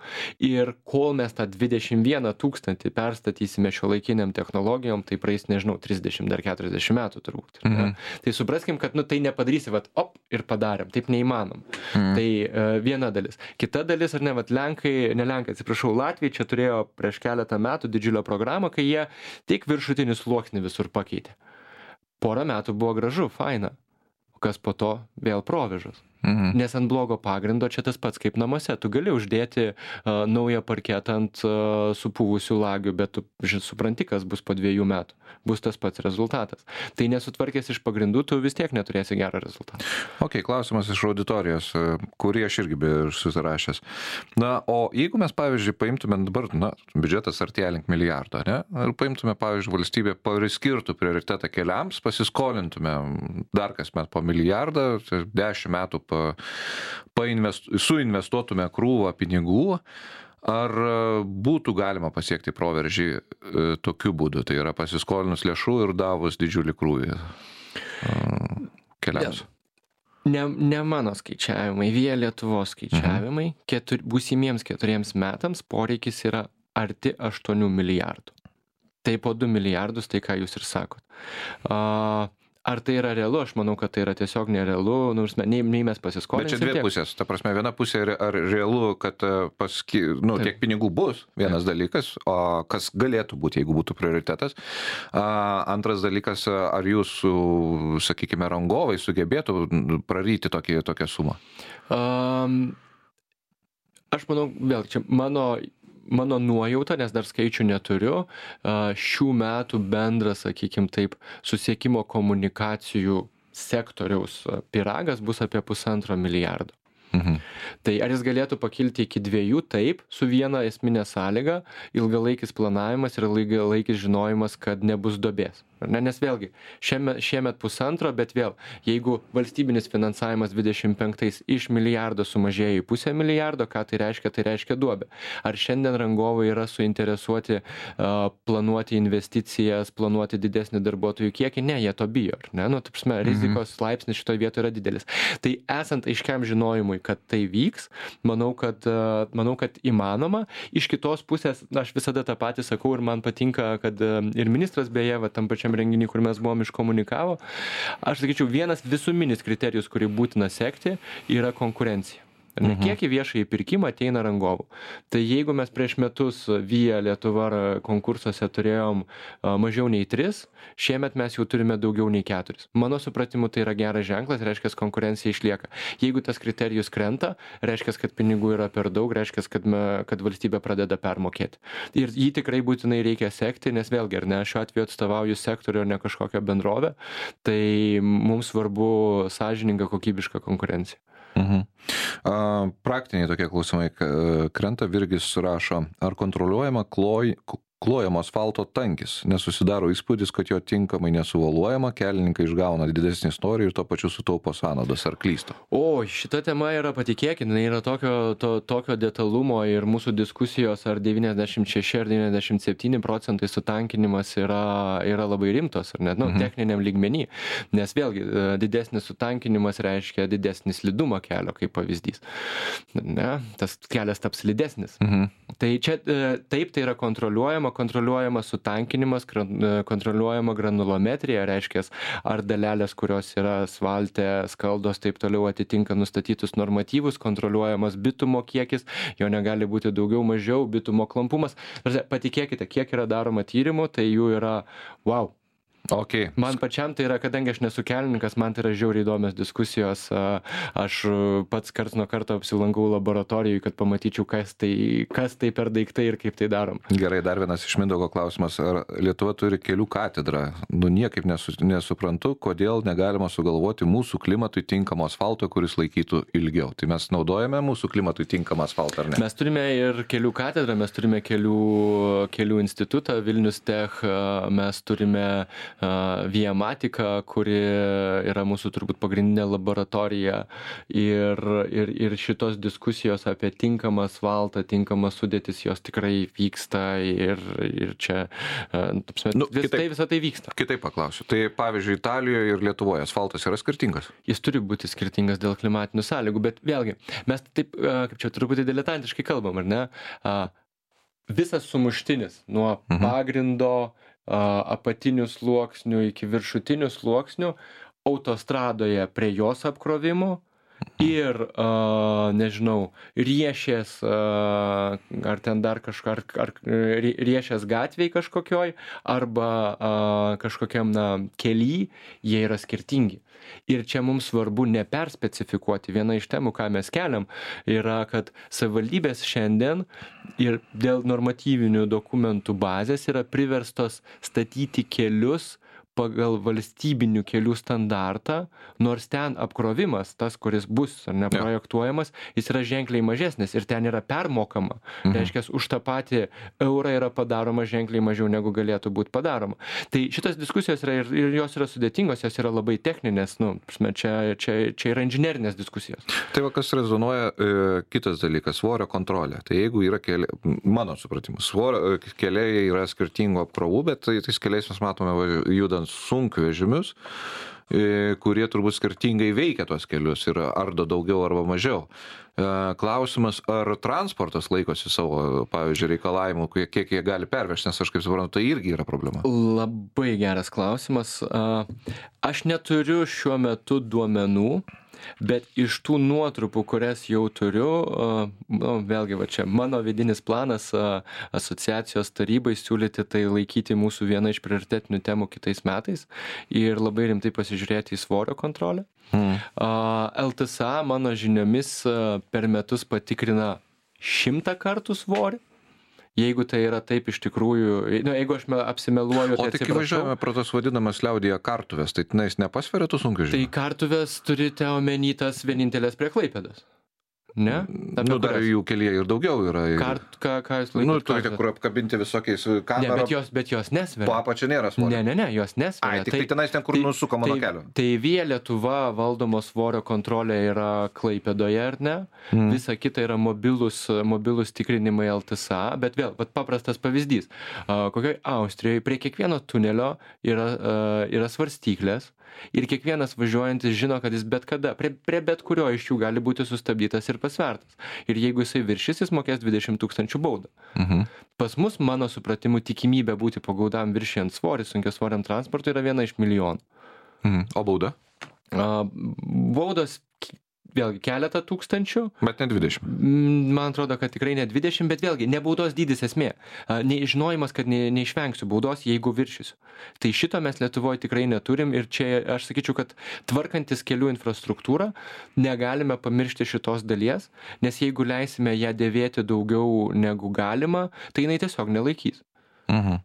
Ir kol mes tą dvidešimt vieną tūkstantį perstatysime šiuolaikiniam technologijom, tai praeis, nežinau, trisdešimt ar keturiasdešimt metų turbūt. Mhm. Tai supraskim, kad nu, tai nepadarysi, vat, op, ir padarėm. Taip neįmanom. Mhm. Tai uh, viena dalis. Kita dalis, ar ne, vat, Lenkai, ne Lenkai, atsiprašau, Latvija čia turėjo prieš keletą metų didžiulio programą, kai jie tik viršutinį sluoksnį visur pakeitė. Porą metų buvo gražu, faina. Kas po to vėl provėžos. Mhm. Nes ant blogo pagrindo čia tas pats kaip namuose. Tu gali uždėti uh, naują parketą ant uh, supūvusių lagių, bet tu ži, supranti, kas bus po dviejų metų. Bus tas pats rezultatas. Tai nesutvarkęs iš pagrindų, tu vis tiek neturėsi gerą rezultatą. Ok, klausimas iš auditorijos, kurį aš irgi be susirašęs. Na, o jeigu mes, pavyzdžiui, paimtume dabar, na, biudžetas artėja link milijardo, ne? Ir paimtume, pavyzdžiui, valstybė priskirtų prioritetą keliams, pasiskolintume dar kasmet po milijardą, dešimt metų pa, painvestu, suinvestuotume krūvą pinigų, ar būtų galima pasiekti proveržį e, tokiu būdu, tai yra pasiskolinus lėšų ir davus didžiulį krūvį e, keliams? Ne, ne mano skaičiavimai, Via Lietuvos skaičiavimai, mhm. ketur, būsimiems keturiems metams poreikis yra arti aštuonių milijardų. Tai po du milijardus, tai ką jūs ir sakot. A, Ar tai yra realu? Aš manau, kad tai yra tiesiog nerealu, nors nei, nei mes pasiskolinsim. Bet čia dvi tiek. pusės. Ta prasme, viena pusė, ar realu, kad paski, nu, Taip. tiek pinigų bus, vienas Taip. dalykas, o kas galėtų būti, jeigu būtų prioritetas. A, antras dalykas, ar jūsų, sakykime, rangovai sugebėtų praryti tokį, tokią sumą? Um, aš manau, vėl čia mano... Mano nuojauta, nes dar skaičių neturiu, šių metų bendras, sakykime taip, susiekimo komunikacijų sektoriaus pyragas bus apie pusantro milijardo. Mhm. Tai ar jis galėtų pakilti iki dviejų? Taip, su viena esminė sąlyga, ilgalaikis planavimas ir ilgalaikis žinojimas, kad nebus duobės. Ne, nes vėlgi, šiemet, šiemet pusantro, bet vėl, jeigu valstybinis finansavimas dvidešimt penktais iš milijardo sumažėjo į pusę milijardo, ką tai reiškia? Tai reiškia duobę. Ar šiandien rangovai yra suinteresuoti uh, planuoti investicijas, planuoti didesnį darbuotojų kiekį? Ne, jie to bijo. Ne? Nu, taip, prasme, rizikos laipsnis šitoje vietoje yra didelis. Tai esant aiškiam žinojimui, kad tai vyks, manau, kad, uh, manau, kad įmanoma. Iš kitos pusės, aš visada tą patį sakau ir man patinka, kad uh, ir ministras beje, va, tam pačiam renginį, kur mes buvom iškomunikavo, aš sakyčiau, vienas visuminis kriterijus, kurį būtina sekti, yra konkurencija. Ne, kiek į viešąjį pirkimą ateina rangovų. Tai jeigu mes prieš metus Via Lietuva konkursuose turėjom mažiau nei tris, šiemet mes jau turime daugiau nei keturis. Mano supratimu, tai yra geras ženklas, reiškia, konkurencija išlieka. Jeigu tas kriterijus krenta, reiškia, kad pinigų yra per daug, reiškia, kad, me, kad valstybė pradeda permokėti. Ir jį tikrai būtinai reikia sekti, nes vėlgi, ar ne, šiuo atveju atstovauju sektorių, ar ne kažkokią bendrovę, tai mums svarbu sąžininga, kokybiška konkurencija. Mhm. Praktiniai tokie klausimai krenta, Virgis rašo, ar kontroliuojama kloj, klojamo asfalto tankis, nesusidaro įspūdis, kad jo tinkamai nesuvoluojama, kelininkai išgauna didesnį storį ir to pačiu sutaupo sąnaudas, ar klysta? O, šita tema yra, patikėkit, yra tokio, to, tokio detalumo ir mūsų diskusijos, ar devyniasdešimt šeši ar devyniasdešimt septyni procentai sutankinimas yra, yra labai rimtos, ar net, nu, mhm. techniniam lygmenį, nes vėlgi didesnis sutankinimas reiškia didesnį slidumą kelio, kaip pavyzdys. Ne, tas kelias taps slidesnis. Mhm. Tai čia taip, tai yra kontroliuojama, kontroliuojama sutankinimas, kontroliuojama granulometrija, reiškia, ar dalelės, kurios yra asfalte, skaldos, taip toliau atitinka nustatytus normatyvus, kontroliuojamas bitumo kiekis, jo negali būti daugiau, mažiau, bitumo klampumas. Patikėkite, kiek yra daroma tyrimų, tai jų yra wow. Okay. Man pačiam tai yra, kadangi aš nesu kelininkas, man tai yra žiauriai įdomios diskusijos. Aš pats karts nuo karto apsilankau laboratorijoje, kad pamatyčiau, kas tai, kas tai per daiktai ir kaip tai darom. Gerai, dar vienas iš Mindaugo klausimas. Ar Lietuva turi kelių katedrą? Nu, niekaip nesu, nesuprantu, kodėl negalima sugalvoti mūsų klimatui tinkamo asfalto, kuris laikytų ilgiau. Tai mes naudojame mūsų klimatui tinkamą asfaltą, ar ne? Mes turime ir kelių katedrą, mes turime kelių, kelių institutą, Vilnius Tech, mes turime Viamatika, kuri yra mūsų turbūt pagrindinė laboratorija ir, ir, ir šitos diskusijos apie tinkamą asfaltą, tinkamą sudėtis, jos tikrai vyksta ir, ir čia nu, vis, kitaip, tai, visą tai vyksta. Kitaip paklausiu. Tai pavyzdžiui, Italijoje ir Lietuvoje asfaltas yra skirtingas? Jis turi būti skirtingas dėl klimatinių sąlygų, bet vėlgi, mes taip, kaip čia truputį diletantiškai kalbam, ar ne? Visas sumuštinis nuo mhm. pagrindo, apatinių sluoksnių iki viršutinių sluoksnių autostradoje prie jos apkrovimo ir, nežinau, riešės ar ten dar kažką, ar, ar riešės gatvėj kažkokioj arba kažkokiam na, kely, jie yra skirtingi. Ir čia mums svarbu neperspecifikuoti. Viena iš temų, ką mes keliam, yra, kad savivaldybės šiandien ir dėl normatyvinių dokumentų bazės yra priverstos statyti kelius pagal valstybinių kelių standartą, nors ten apkrovimas, tas, kuris bus ar neprojektuojamas, jis yra ženkliai mažesnis ir ten yra permokama. Mhm. Reiškia, už tą patį eurą yra padaroma ženkliai mažiau, negu galėtų būti padaroma. Tai šitos diskusijos yra ir, ir jos yra sudėtingos, jos yra labai techninės, nu, čia, čia, čia yra inžinerinės diskusijos. Tai va, kas rezonuoja, e, kitas dalykas, svorio kontrolė. Tai jeigu yra keliai, mano supratimu, svorio keliai yra skirtingų apkrovų, bet tai, tais keliais mes matome judant sunkvežimius, kurie turbūt skirtingai veikia tos kelius ir ardo daugiau arba mažiau. Klausimas, ar transportas laikosi savo, pavyzdžiui, reikalavimų, kiek jie gali pervežti, nes aš kaip suprantu, tai irgi yra problema. Labai geras klausimas. Aš neturiu šiuo metu duomenų, bet iš tų nuotrupų, kurias jau turiu, nu, vėlgi, va čia mano vidinis planas asociacijos tarybai siūlyti tai laikyti mūsų viena iš prioritetinių temų kitais metais ir labai rimtai pasižiūrėti į svorio kontrolę. Hmm. L T S A mano žiniomis per metus patikrina šimtą kartų svorį. Jeigu tai yra taip iš tikrųjų, nu, jeigu aš apsimeluoju, tai atsiprašau. O tik važiuojame pro tos vadinamas liaudyje kartuvės, tai tenais nepasveria tų sunkvežimių? Tai kartuvės turite omeny tas vienintelės prie Klaipėdos. Ne? Nu, dar jų kelyje ir daugiau yra. Kart, ką, ką jūs laikot? Nu, turite kur apkabinti visokiais kamerom. Ne, bet jos, bet jos nesveria. Po apačia nėra svorio. Ne, ne, ne, jos nesveria. Ai, tik tai, tai tenais ten, kur tai, nusukama nuo kelio. Tai Via Lietuva valdomo svorio kontrolė yra Klaipėdoje, ar ne? Mm. Visa kita yra mobilus, mobilus tikrinimai L T S A, bet vėl, bet paprastas pavyzdys. Kokioj Austrijoje prie kiekvieno tunelio yra, yra svarstyklės. Ir kiekvienas važiuojantis žino, kad jis bet kada, prie, prie bet kurio iš jų gali būti sustabdytas ir pasvertas. Ir jeigu jisai viršys, jis mokės dvidešimt tūkstančių baudą. Mhm. Pas mus, mano supratimu, tikimybė būti pagaudam viršijant svorį, sunkiasvoriam transportui yra viena iš milijonų. Mhm. O bauda? A, baudos vėlgi keletą tūkstančių. Bet ne dvidešimt. Man atrodo, kad tikrai ne dvidešimt, bet vėlgi ne baudos dydis esmė. Nežinojimas, kad ne, neišvengsiu baudos, jeigu viršysiu. Tai šito mes Lietuvoje tikrai neturim ir čia aš sakyčiau, kad tvarkantis kelių infrastruktūrą negalime pamiršti šitos dalies, nes jeigu leisime ją dėvėti daugiau negu galima, tai jinai tiesiog nelaikys. Mhm.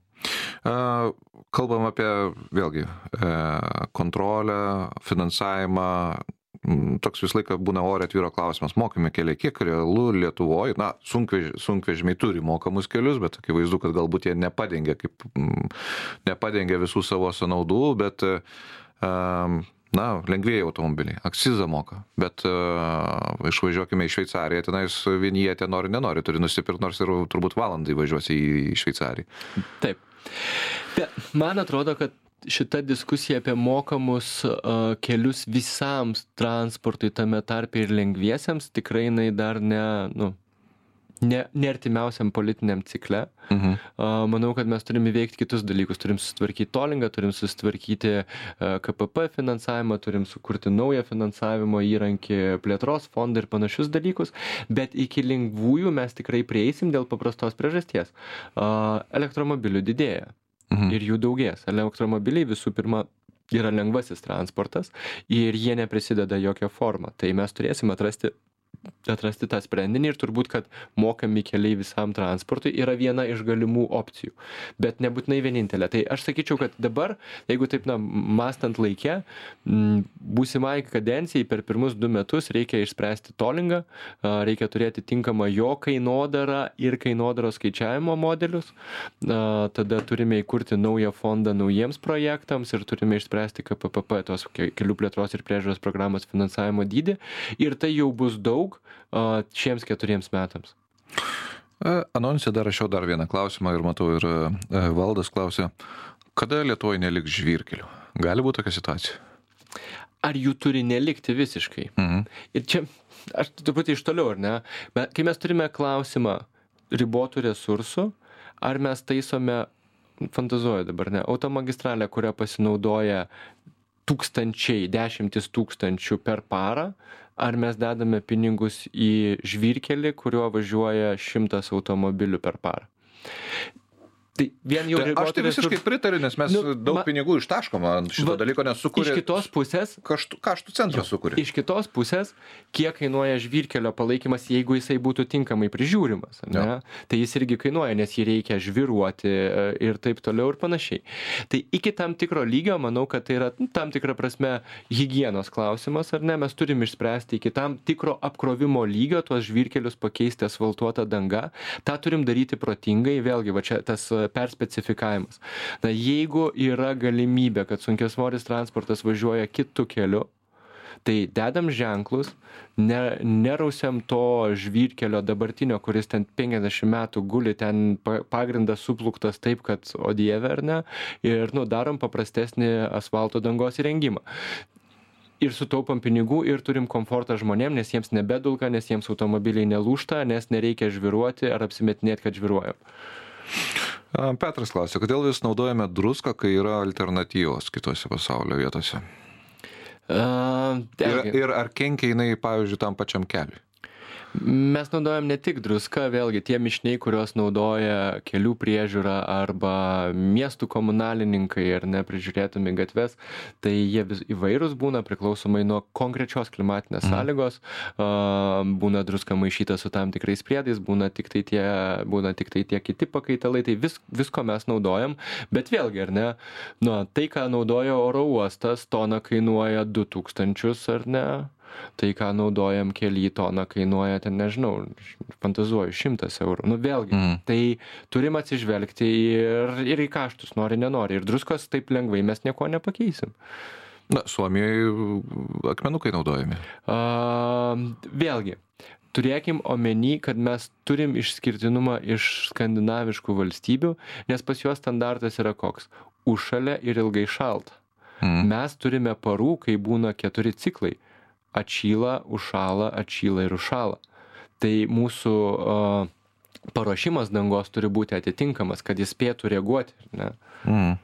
Kalbam apie, vėlgi, kontrolę, finansavimą. Toks visą laiką būna ore atvyro klausimas, mokami keliai, kiek realu Lietuvoje, na, sunkvež, sunkvežimiai turi mokamus kelius, bet akivaizdu, kad galbūt jie nepadengia, kaip, nepadengia visų savo sąnaudų, bet, na, lengvieji automobiliai, akcizą moka, bet uh, išvažiuokime į Šveicariją, tenais vienietė nori, nenori, turi nusipirkti, nors ir turbūt valandai važiuosi į, į Šveicariją. Taip. Bet man atrodo, kad šita diskusija apie mokamus uh, kelius visams transportui, tame tarpe ir lengviesiems, tikrai jinai dar ne, nu, ne, ne artimiausiam politiniam cikle. Mhm. Uh, manau, kad mes turime įveikti kitus dalykus. Turim susitvarkyti tolingą, turim susitvarkyti uh, K P P finansavimą, turim sukurti naują finansavimo įrankį, plėtros fondą ir panašius dalykus, bet iki lengvųjų mes tikrai prieisim dėl paprastos priežasties. Uh, elektromobilių didėja. Mhm. Ir jų daugės. Elektromobiliai visų pirma yra lengvasis transportas ir jie neprisideda jokią formą. Tai mes turėsim atrasti, atrasti tą sprendinį ir turbūt, kad mokami keliai visam transportui yra viena iš galimų opcijų, bet nebūtinai vienintelė. Tai aš sakyčiau, kad dabar, jeigu taip, na, mąstant laike, būsimai kadencijai per pirmus du metus reikia išspręsti tolingą, reikia turėti tinkamą jo kainodarą ir kainodaros skaičiavimo modelius, tada turime įkurti naują fondą naujiems projektams ir turime išspręsti K P P P, tos kelių plėtros ir priežiūros programos finansavimo dydį ir tai jau bus daug šiems keturiems metams. Anonse dar rašiau dar vieną klausimą ir matau ir Valdas klausė, kada Lietuvoje neliks žvyrkelių? Gali būti tokia situacija? Ar jų turi nelikti visiškai? Mhm. Ir čia, aš truputį iš toliau, ar ne? Bet kai mes turime klausimą ribotų resursų, ar mes taisome, fantazuoju dabar, ne, automagistralę, kurią pasinaudoja tūkstančiai, dešimtis tūkstančių per parą, ar mes dedame pinigus į žvyrkelį, kuriuo važiuoja šimtas automobilių per parą. Tai vien jau tai aš tai visiškai pritariu, nes mes nu, daug ma, pinigų ištaškoma ant šito va, dalyko, nes sukūrė... Iš kitos pusės... Kaštų, kaštų centras sukūrė. Iš kitos pusės, kiek kainuoja žvyrkelio palaikymas, jeigu jisai būtų tinkamai prižiūrimas, ne? Tai jis irgi kainuoja, nes jį reikia žvyruoti ir taip toliau ir panašiai. Tai iki tam tikro lygio, manau, kad tai yra tam tikra prasme higienos klausimas, ar ne? Mes turim išspręsti iki tam tikro apkrovimo lygio tuos žvyrkelius pakeisti asfaltuotą dangą. Ta turim daryti protingai, vėlgi, va čia tas perspecifikavimas. Na, jeigu yra galimybė, kad sunkiasvoris transportas važiuoja kitu keliu, Tai dedam ženklus, ne, nerausiam to žvyrkelio dabartinio, kuris ten penkiasdešimt metų guli, ten pagrindas supluktas taip, kad o dieve ar ne, ir nu, darom paprastesnį asfalto dangos įrengimą. Ir sutaupam pinigų ir turim komfortą žmonėm, nes jiems nebedulka, nes jiems automobiliai nelūžta, nes nereikia žviruoti ar apsimetinėti, kad žviruojam. Petras klausia, kodėl vis naudojame druską, kai yra alternatyvos kitose pasaulio vietose? Uh, ir, ir ar kenkia jinai, pavyzdžiui, tam pačiam keliui? Mes naudojam ne tik druską, vėlgi tie mišiniai, kuriuos naudoja kelių priežiūra arba miestų komunalininkai ar neprižiūrėtumi gatves, tai jie vis įvairūs būna priklausomai nuo konkrečios klimatinės mm. sąlygos, būna druska maišyta su tam tikrais priedais, būna tik tai tie, būna tik tai tie kiti pakaitalai, tai vis, visko mes naudojam, bet vėlgi, ar ne, nu, tai, ką naudoja oro uostas, tona kainuoja du tūkstančius, ar ne? Tai, ką naudojam kely, tona kainuoja, ten nežinau, fantazuoju, šimtas eurų. Nu, vėlgi, mm. tai turim atsižvelgti ir, ir į kaštus, nori, nenori. Ir druskos taip lengvai mes nieko nepakeisim. Na, Suomijoje akmenukai naudojami. A, vėlgi, turėkim omeny, kad mes turim išskirtinumą iš skandinaviškų valstybių, nes pas juos standartas yra koks? Užšalia ir ilgai šalta. Mm. Mes turime parų, kai būna keturi ciklai. Atšyla, užšala, atšyla ir užšala. Tai mūsų uh, paruošimas dangos turi būti atitinkamas, kad jis spėtų reaguoti. Ne? Mm.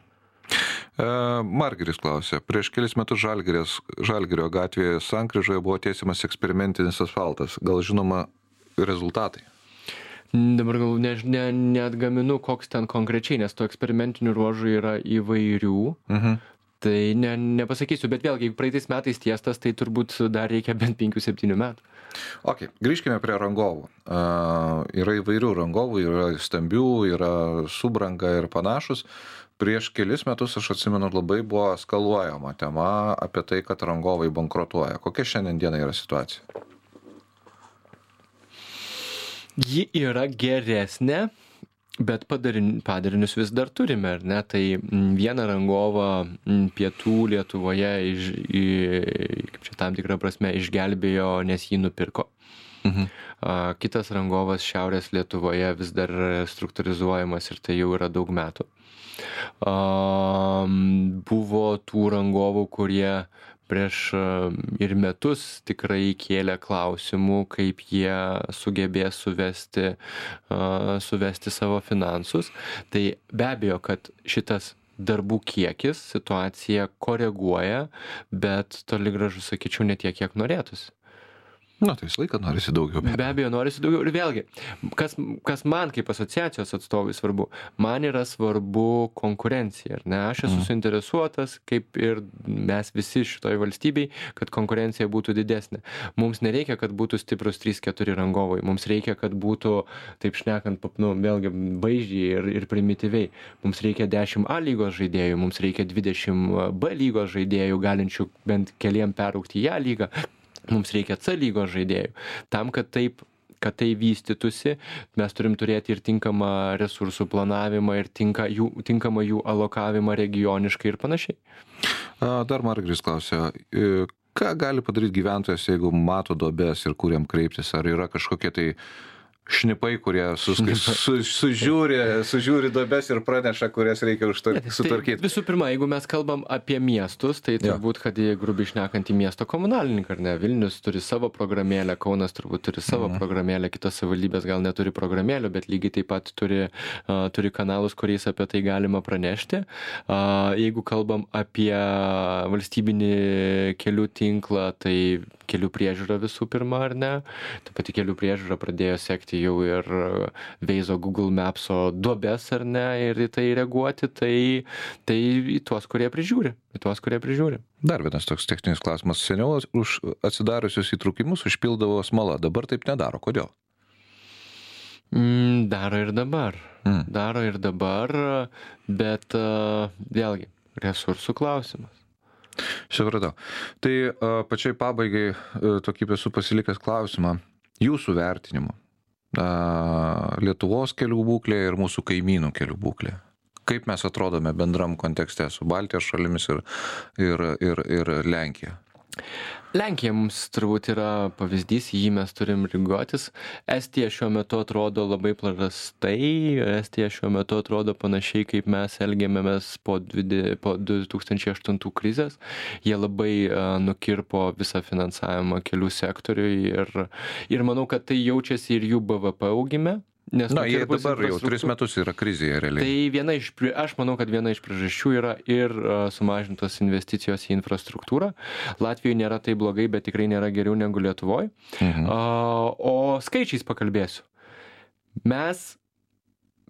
E, Margiris klausė, prieš kelis metus Žalgiris, Žalgirio gatvėje sankryžoje buvo tiesiamas eksperimentinis asfaltas. Gal žinoma rezultatai? Dabar gal ne, ne, neatgaminu, koks ten konkrečiai, nes to eksperimentinių ruožų yra įvairių. Mhm. Tai ne, nepasakysiu, bet vėlgi, jeigu praeitais metais tiestas, tai turbūt dar reikia bent penkių septynių metų. Ok, grįžkime prie rangovų. Uh, yra įvairių rangovų, yra stambių, yra subranga ir panašus. Prieš kelis metus, aš atsimenu, labai buvo skaluojama tema apie tai, kad rangovai bankrutuoja. Kokia šiandien diena yra situacija? Ji yra geresnė. Bet padarinius vis dar turime, ar ne? Tai vieną rangovą pietų Lietuvoje iš, į, kaip čia tam tikrą prasme išgelbėjo, nes jį nupirko. Mhm. Kitas rangovas Šiaurės Lietuvoje vis dar struktūrizuojamas ir tai jau yra daug metų. Buvo tų rangovų, kurie prieš ir metus tikrai kėlė klausimų, kaip jie sugebės suvesti, suvesti savo finansus. Tai be abejo, kad šitas darbų kiekis situaciją koreguoja, bet toli gražu, sakyčiau, ne tiek, kiek norėtųsi. Na, tai visą laiką norisi daugiau. Be abejo, norisi daugiau. Ir vėlgi, kas, kas man kaip asociacijos atstovai svarbu, man yra svarbu konkurencija. Ar ne? Aš esu mm. suinteresuotas, kaip ir mes visi šitoj valstybei, kad konkurencija būtų didesnė. Mums nereikia, kad būtų stiprus trys keturi rangovai. Mums reikia, kad būtų, taip šnekant, nu, vėlgi, vaizdžiai ir, ir primityviai. Mums reikia dešimt A lygos žaidėjų, mums reikia dvidešimt B lygos žaidėjų, galinčių bent keliem peraugti į A lygą. Mums reikia C lygos žaidėjų. Tam, kad taip, kad tai vystytųsi, mes turim turėti ir tinkamą resursų planavimą, ir tinka, jų, tinkamą jų alokavimą regioniškai ir panašiai. Dar Margiris klausia, ką gali padaryti gyventojas, jeigu mato duobes ir kur jam kreiptis? Ar yra kažkokie tai šnipai, kurie sus, su, sužiūri, sužiūri duobes ir praneša, kurias reikia sutvarkyti. Tai visų pirma, jeigu mes kalbam apie miestus, tai turbūt, kad jie grubiai šnekant į miesto komunalininką, ar ne? Vilnius turi savo programėlę, Kaunas turbūt turi savo mhm. programėlę, kitos savivaldybės gal neturi programėlių, bet lygiai taip pat turi, uh, turi kanalus, kuriais apie tai galima pranešti. Uh, jeigu kalbam apie valstybinį kelių tinklą, tai kelių priežiūra visų pirma, ar ne? Ta pati kelių priežiūra pradėjo sekti jau ir Veizo Google Mapso duobes, ar ne, ir į tai reaguoti, tai, tai į tuos, kurie prižiūri, į tuos, kurie prižiūri. Dar vienas toks techninis klausimas. Seniau už atsidariusius įtrūkimus užpildavo smala, dabar taip nedaro. Kodėl? Mm, daro ir dabar. Mm. Daro ir dabar, bet uh, vėlgi, resursų klausimas. Supratau. Tai uh, pačiai pabaigai uh, tokį esu pasilikęs klausimą. Jūsų vertinimu. Uh, Lietuvos kelių būklė ir mūsų kaimynų kelių būklė. Kaip mes atrodome bendram kontekste su Baltijos šalimis ir, ir, ir, ir Lenkija? Lenkija mums turbūt yra pavyzdys, jį mes turim lygiuotis. Estija šiuo metu atrodo labai prastai, Estija šiuo metu atrodo panašiai, kaip mes elgėmėmės po, dvide, po du tūkstančiai aštuntų krizės. Jie labai uh, nukirpo visą finansavimą kelių sektoriui ir, ir manau, kad tai jaučiasi ir jų B V P augime. Nes Na, jie dabar jau tris metus yra krizėje realiai. Tai viena iš, aš manau, kad viena iš priežasčių yra ir sumažintos investicijos į infrastruktūrą. Latvijoje nėra tai blogai, bet tikrai nėra geriau negu Lietuvoje. Mhm. O skaičiais pakalbėsiu. Mes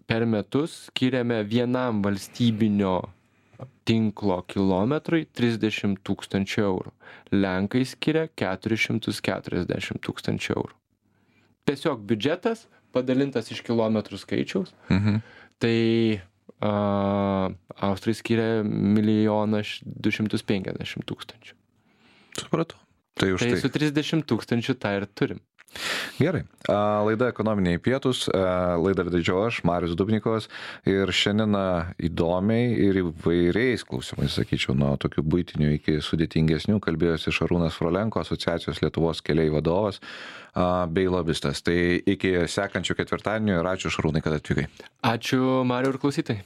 per metus skiriame vienam valstybinio tinklo kilometrui trisdešimt tūkstančių eurų. Lenkai skiria keturis šimtus keturiasdešimt tūkstančių eurų. Tiesiog biudžetas padalintas iš kilometrų skaičiaus, mhm. tai a, Austrai skiria milijoną du šimtus penkiasdešimt tūkstančių. Supratau. Tai už tai. Tai su trisdešimt tūkstančių tą ir turim. Gerai. Laida Ekonominiai pietūs, laidą vedžiau aš, Marius Dubnikovas, ir šiandien įdomiai ir įvairiais klausimais, sakyčiau, nuo tokių buitinių iki sudėtingesnių, kalbėjosi Šarūnas Frolenko, Asociacijos Lietuvos keliai vadovas bei lobistas. Tai iki sekančių ketvirtadienio ir ačiū Šarūnai, kad atvykai. Ačiū Mariu ir klausytojai.